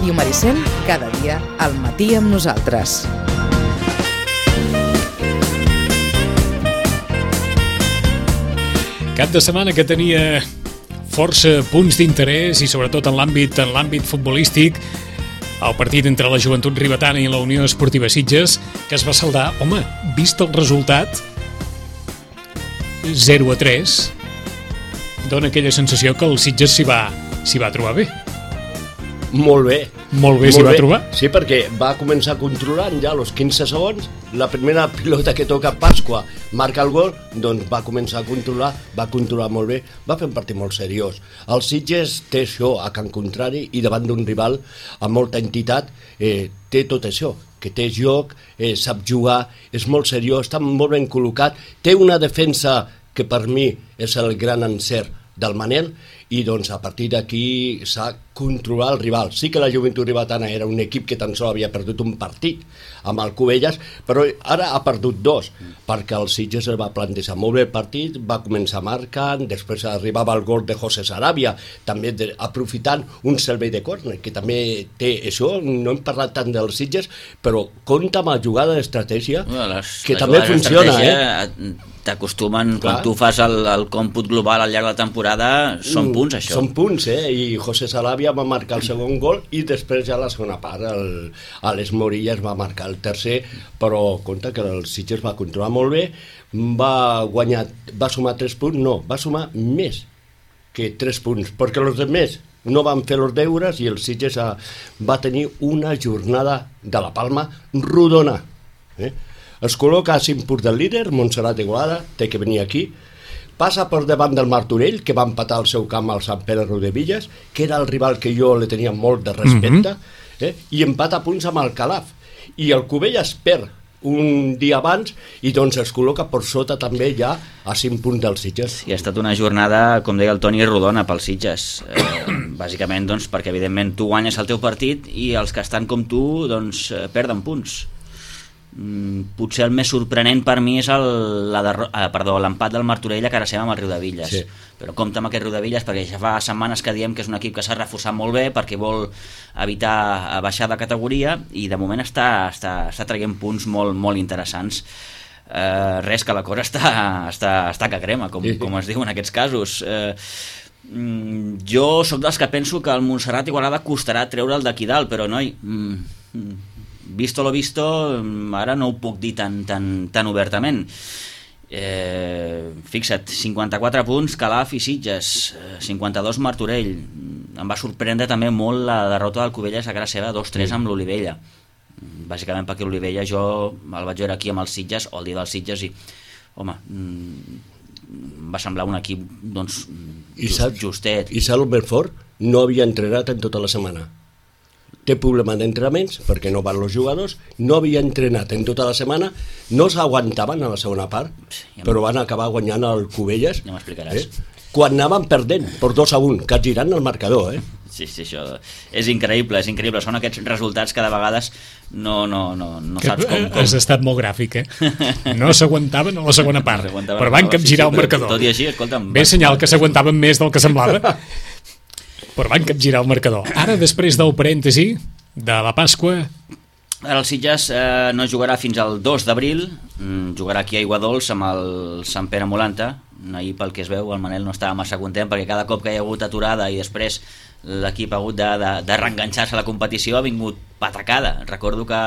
Ràdio Maricel, cada dia al matí amb nosaltres. Cap de setmana que tenia força punts d'interès i sobretot en l'àmbit futbolístic, el partit entre la Joventut Ribetana i la Unió Esportiva Sitges, que es va saldar, home, vist el resultat, 0-3, dona aquella sensació que el Sitges s'hi va trobar bé. Molt bé. Molt bé s'hi va trobar. Sí, perquè va començar controlant ja als 15 segons, la primera pilota que toca Pasqua marca el gol, doncs va començar a controlar, va controlar molt bé, va fer un partit molt seriós. El Sitges té això a Can Contrari i davant d'un rival amb molta entitat, té tot això, que té joc, sap jugar, és molt seriós, està molt ben col·locat, té una defensa que per mi és el gran encert del Manel, i doncs a partir d'aquí s'ha controlat el rival. Sí que la Joventut Ribetana era un equip que tan sols havia perdut un partit amb el Cubelles, però ara ha perdut dos, perquè el Sitges el va plantejar molt bé el partit, va començar marcant, després arribava el gol de José Sarabia, també aprofitant un servei de córner, que també té això, no hem parlat tant dels Sitges, però compta amb la jugada d'estratègia, que també funciona, t'acostumen, quan tu fas el còmput global al llarg de la temporada, són punts, això. Són punts, i José Sarabia va marcar el segon gol i després ja la segona part Alex Morillas va marcar el tercer, però compte que el Sitges va controlar molt bé, va sumar 3 punts, no, va sumar més que 3 punts, perquè els altres no van fer els deures i el Sitges va tenir una jornada de la Palma rodona, Es col·loca a 5 punts del líder, Montserrat Igualada, té que venir aquí, passa per davant del Martorell, que va empatar al seu camp al Sant Pere Riudebitlles, que era el rival que jo li tenia molt de respecte, i empata a punts amb el Calaf. I el Cubelles perd un dia abans i doncs es col·loca per sota també ja a 5 punts dels Sitges. I ha estat una jornada, com deia el Toni, rodona pels Sitges. Bàsicament doncs, perquè evidentment tu guanyes el teu partit i els que estan com tu doncs, perden punts. Potser el més sorprenent per mi és l'empat del Martorell a cara seva amb el Riudebitlles, sí. Però compta amb aquest Riudebitlles perquè ja fa setmanes que diem que és un equip que s'ha reforçat molt bé perquè vol evitar baixar de categoria i de moment està traient punts molt, molt interessants. Res, que la cosa està que crema, com es diu en aquests casos. Jo sóc dels que penso que el Montserrat Igualada costarà treure'l d'aquí dalt, però noi, visto lo visto, ara no ho puc dir tan obertament. Fixa't, 54 punts Calaf i Sitges, 52 Martorell. Em va sorprendre també molt la derrota del Cubelles a cara seva 2-3 amb l'Olivella, bàsicament perquè l'Olivella jo el vaig veure aquí amb els Sitges o el dia dels Sitges i home, va semblar un equip doncs justet. I saps el més fort? No havia entrenat en tota la setmana. Té problema d'entrenaments perquè no van els jugadors, no havia entrenat en tota la setmana, no s'aguantaven a la segona part, però van acabar guanyant el Cubelles. Ja m'explicaràs. Quan anaven perdent per 2-1, que girant el marcador. Sí, això és increïble, són aquests resultats que de vegades no saps com. Has estat molt gràfic, No s'aguantaven a la segona part, però van capgirar el marcador. Tot i així, escolta'm... Bé senyal que s'aguantaven més del que semblava. Però van capgirar el marcador. Ara, després del parèntesi de la Pasqua... Ara el Sitges no jugarà fins al 2 d'abril, jugarà aquí a Aiguadols amb el Sant Pere Molanta. Ahir, pel que es veu, el Manel no estava massa content perquè cada cop que hi ha hagut aturada i després l'equip ha hagut de reenganxar-se a la competició ha vingut patacada. Recordo que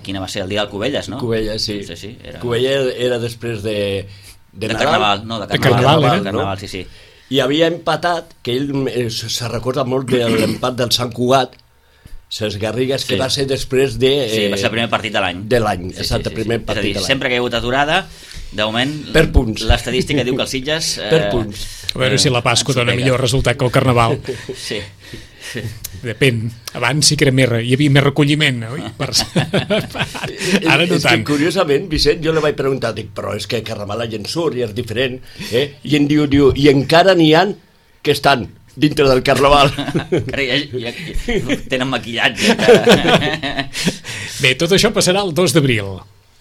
quina va ser el dia del Cubelles, no? Cubelles, sí. Sí, Cubelles era després de Carnaval, no? De Carnaval, no? Sí. I havia empatat, que ell se recorda molt de l'empat del Sant Cugat, Ses Garrigues, que va ser després de... va ser el primer partit de l'any. Exacte, primer partit de l'any. Sempre que hi ha hagut aturada, de moment, per punts. L'estadística diu que els Sitges... Per punts. A veure si la Pasqua dona millor resultat que el Carnaval. Sí. Depèn. Abans sí que era hi havia més recolliment, oi? Ara no tant. És que, curiosament, Vicent, jo li vaig preguntar, però és que Carnaval la gent surt i és diferent, i em diu, i encara n'hi ha que estan dintre del Carnaval. Ja tenen maquillatge. Bé, tot això passarà el 2 d'abril.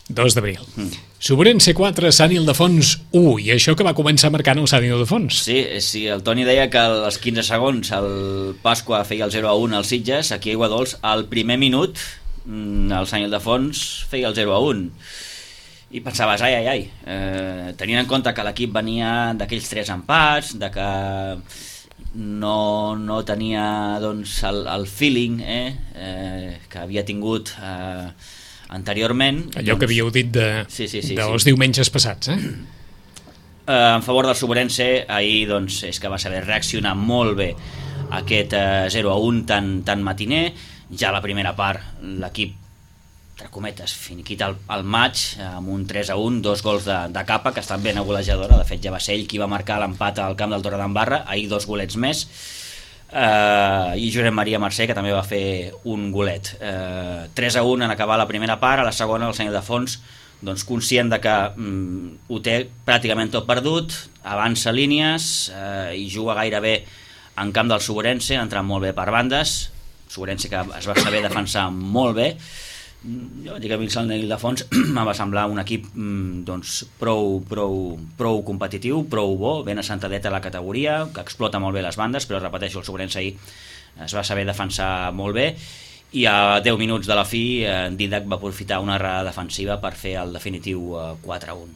2 d'abril. Sobrense 4, Sant Ildefons 1, i això que va començar marcant el Sant Ildefons. Sí, el Toni deia que als 15 segons el Pasqua feia el 0-1 al Sitges, aquí a Aiguadols al primer minut el Sant Ildefons feia el 0-1 i pensaves, ai, tenint en compte que l'equip venia d'aquells 3 empats, de que no tenia doncs, el feeling que havia tingut anteriorment. Allò que havíeu dit dels diumenges passats, en favor del Sobrense, ahir doncs, és que va saber reaccionar molt bé aquest 0-1 tan matiner. Ja a la primera part l'equip, entre cometes, finiquita el maig amb un 3-1, 2 gols de Capa, que estan ben a golejadora. De fet ja va ser ell qui va marcar l'empat al camp del Torredembarra, ahir 2 golets més, i Josep Maria Mercè, que també va fer un golet. 3-1 en acabar la primera part. A la segona el Sant Ildefons, doncs, conscient de que ho té pràcticament tot perdut, avança línies i juga gairebé en camp del Sobrense, entrant molt bé per bandes. Sobrense que es va saber defensar molt bé. Jo vaig dir que a mi el Sant Ildefons em va semblar un equip doncs, prou competitiu, prou bo, ben assentadet a la categoria, que explota molt bé les bandes, però repeteixo, el Sobrense ahir es va saber defensar molt bé, i a 10 minuts de la fi Didac va aprofitar una errada defensiva per fer el definitiu 4-1.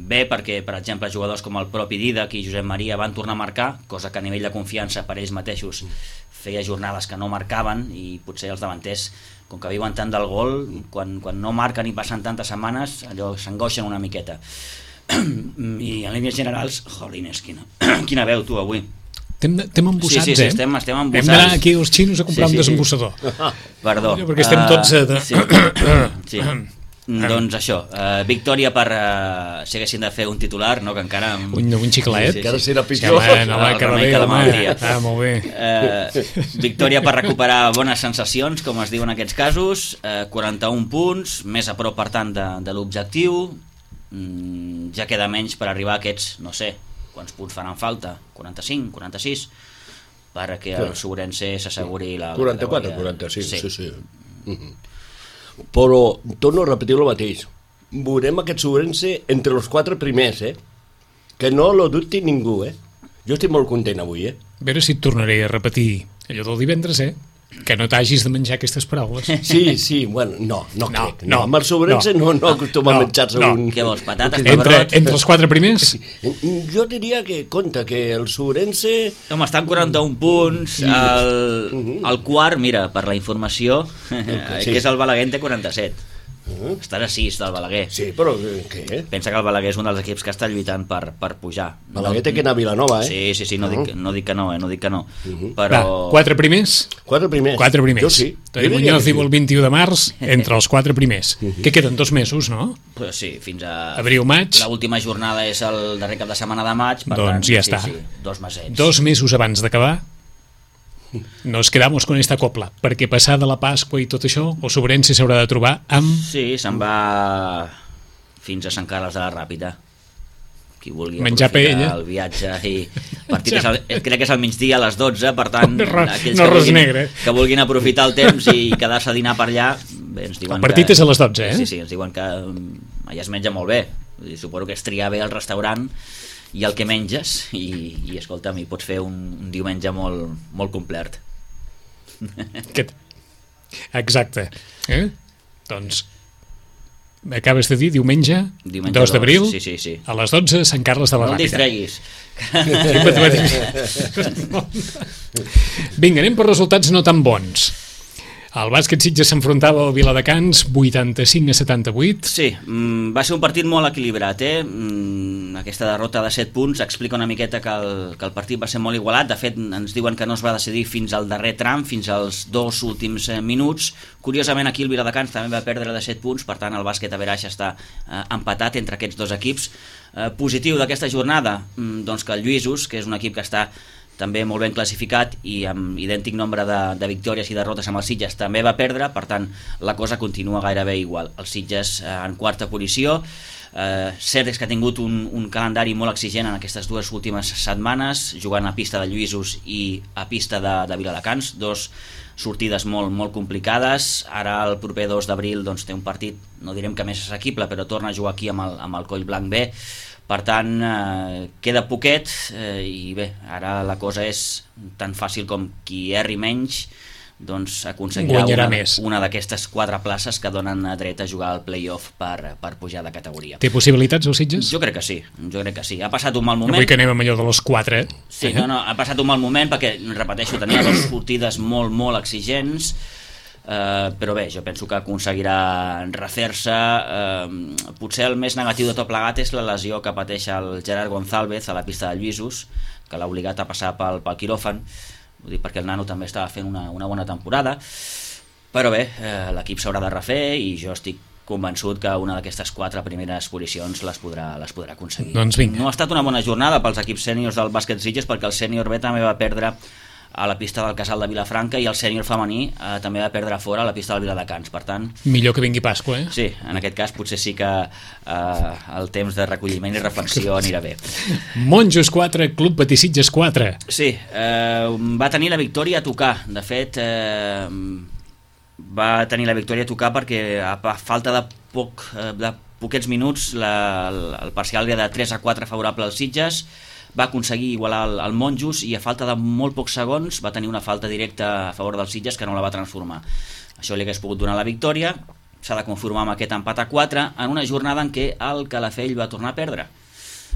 Bé, perquè per exemple jugadors com el propi Didac i Josep Maria van tornar a marcar, cosa que a nivell de confiança per ells mateixos feia jornades que no marcaven, i potser els davanters, com que viuen tant del gol, quan no marquen i passen tantes setmanes, allò s'angoixen una miqueta. I en línies generals, jolines, quina veu tu avui. Estem embossats, sí, estem embossats. Hem d'anar aquí als xinos a comprar un desembossador. Perdó. Perquè estem tots... Sí. Doncs això, victòria per si haguessin de fer un titular, no, que encara un xiclet, que ara serà pitjor, molt bé. Victòria per recuperar bones sensacions, com es diu en aquests casos, 41 punts, més a prop per tant de l'objectiu. Ja queda menys per arribar a aquests, no sé quants punts faran falta, 45, 46, perquè el Sobrense s'asseguri la 44, 45, sí. Però torno a repetir el mateix, veurem aquest Sobrense entre els 4 primers, que no lo dubti ningú. Jo estic molt content avui. A veure si et tornaré a repetir allò del divendres, que no t'hagis de menjar aquestes paraules. Sí, bueno, no crec. Amb el Sobrense no acostuma a menjar-se un... Què vols, patates, entre els 4 primers? Jo diria que compta que el Sobrense... Home, estan 41 punts, el quart, mira, per la informació, que és el Balaguer, té 47. Estan a 6 del Balaguer. Sí, però què? Pensa que el Balaguer és un dels equips que està lluitant per pujar. Balaguer té que anar a Vilanova, Sí, no dic que no. Però... 4 primers? 4 primers. 4 primers. Jo sí. Toni Muñoz diu el 21 de març, entre els 4 primers. Que queden 2 mesos, no? Pues sí, fins a... Abril-maig. L'última jornada és el darrer cap de setmana de maig, per doncs tant, ja està. 2 mesets. 2 mesos abans d'acabar, nos quedamos con esta copla, perquè passada la Pasqua i tot això, el Sobrense s'haurà de trobar amb... Sí, se'n va fins a Sant Carles de la Ràpita. Qui vulgui menjar aprofitar el viatge i partit crec que és al migdia a les 12, per tant aquells que vulguin aprofitar el temps i quedar-se a dinar per allà, bé, ens diuen el partit és a les 12, Sí, ens diuen que allà es menja molt bé. Suposo que és triar bé el restaurant i el que menges i escolta'm, hi pots fer un diumenge molt complet. Exacte. Doncs acabes de dir diumenge 2 d'abril, sí. a les 12, Sant Carles de la Ràpita. No el distreguis. Vinga, anem per resultats no tan bons. El bàsquet Sitges s'enfrontava al Viladecans 85-78. Sí, va ser un partit molt equilibrat. Aquesta derrota de 7 punts explica una miqueta que el partit va ser molt igualat. De fet, ens diuen que no es va decidir fins al darrer tram, fins als 2 últims minuts. Curiosament, aquí el Viladecans també va perdre de 7 punts, per tant el bàsquet a Veraix està empatat entre aquests 2 equips. Positiu d'aquesta jornada, doncs que el Lluïsos, que és un equip que està també molt ben classificat i amb idèntic nombre de victòries i derrotes amb el Sitges, també va perdre, per tant la cosa continua gairebé igual. El Sitges en quarta posició, Cert és que ha tingut un calendari molt exigent en aquestes 2 últimes setmanes, jugant a pista de Lluïsos i a pista de Viladecans, 2 sortides molt complicades. Ara el proper 2 d'abril doncs, té un partit, no direm que més assequible, però torna a jugar aquí amb el Collblanc B. Per tant, queda poquet i bé, ara la cosa és tan fàcil com qui erri menys doncs aconseguirà una d'aquestes 4 places que donen dret a jugar al play-off per pujar de categoria. Té possibilitats el Sitges? Jo crec que sí. Ha passat un mal moment. Avui que anem amb allò de les 4. Sí, no, ha passat un mal moment perquè, repeteixo, tenia 2 sortides molt exigents, però bé, jo penso que aconseguirà refer-se. Potser el més negatiu de tot plegat és la lesió que pateix el Gerard González a la pista de Lluïsos, que l'ha obligat a passar pel quiròfan. Ho dic perquè el nano també estava fent una bona temporada, però bé, l'equip s'haurà de refer i jo estic convençut que una d'aquestes 4 primeres posicions les podrà aconseguir. Doncs vinga. No ha estat una bona jornada pels equips sèniors del bàsquet Sitges, perquè el sènior B també va perdre a la pista del Casal de Vilafranca i el sènior femení també va perdre fora a la pista del Viladecans. Per tant, millor que vingui Pasqua, Sí, en aquest cas potser sí que el temps de recolliment i reflexió anirà bé. Monjos 4, Club Patí Sitges 4. Sí, va tenir la victòria a tocar. De fet, va tenir la victòria a tocar perquè a falta de poquets minuts el parcial era de 3-4 favorable als Sitges. Va aconseguir igualar el Monjos i a falta de molt pocs segons va tenir una falta directa a favor dels Sitges que no la va transformar. Això li hagués pogut donar la victòria. S'ha de conformar amb aquest empat a 4 en una jornada en què el Calafell va tornar a perdre.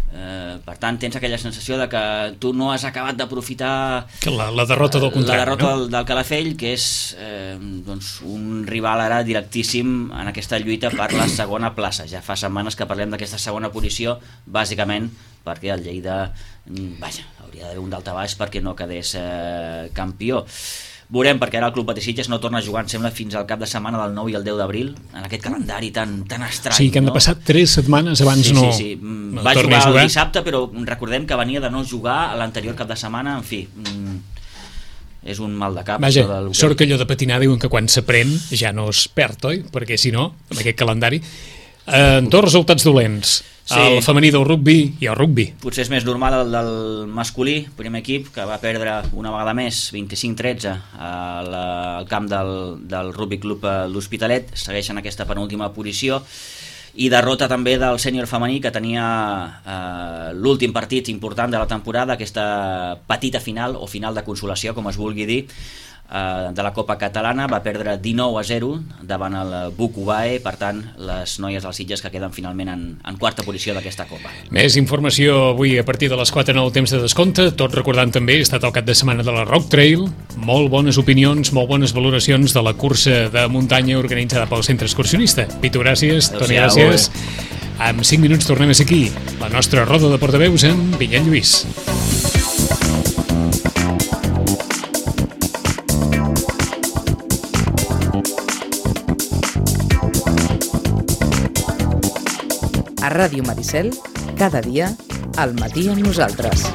Per tant, tens aquella sensació de que tu no has acabat d'aprofitar la derrota del contrari, la derrota del Calafell, que és un rival ara directíssim en aquesta lluita per la segona plaça. Ja fa setmanes que parlem d'aquesta segona posició, bàsicament perquè el Lleida hauria d'haver un daltabaix perquè no quedés campió. Veurem, perquè ara el Club Patí Sitges no torna a jugar, em sembla, fins al cap de setmana del 9 i el 10 d'abril, en aquest calendari tan estrany. Sí, que han de passar 3 setmanes abans Sí. Va jugar el dissabte, però recordem que venia de no jugar a l'anterior cap de setmana, en fi, és un mal de cap. Vaja, sort que allò de patinar diuen que quan s'aprèn ja no es perd, oi? Perquè si no, amb aquest calendari... dos resultats dolents. Sí. El femení del rugbi i el rugbi. Potser és més normal el del masculí, primer equip, que va perdre una vegada més 25-13 al camp del Rugbi Club l'Hospitalet. Segueixen aquesta penúltima posició. I derrota també del sènior femení, que tenia l'últim partit important de la temporada, aquesta petita final o final de consolació, com es vulgui dir, de la Copa Catalana. Va perdre 19-0 davant el Buc Ubae. Per tant, les noies dels Sitges que queden finalment en quarta posició d'aquesta Copa. Més informació avui a partir de les 4 en el temps de descompte. Tot recordant també, ha estat el cap de setmana de la Rock Trail. Molt bones opinions, molt bones valoracions de la cursa de muntanya organitzada pel Centre Excursionista. Pitu, gràcies. Toni, gràcies. En 5 minuts tornem a ser aquí, la nostra roda de portaveus amb Vinyet Lluís. A Ràdio Maricel, cada dia, al matí amb nosaltres.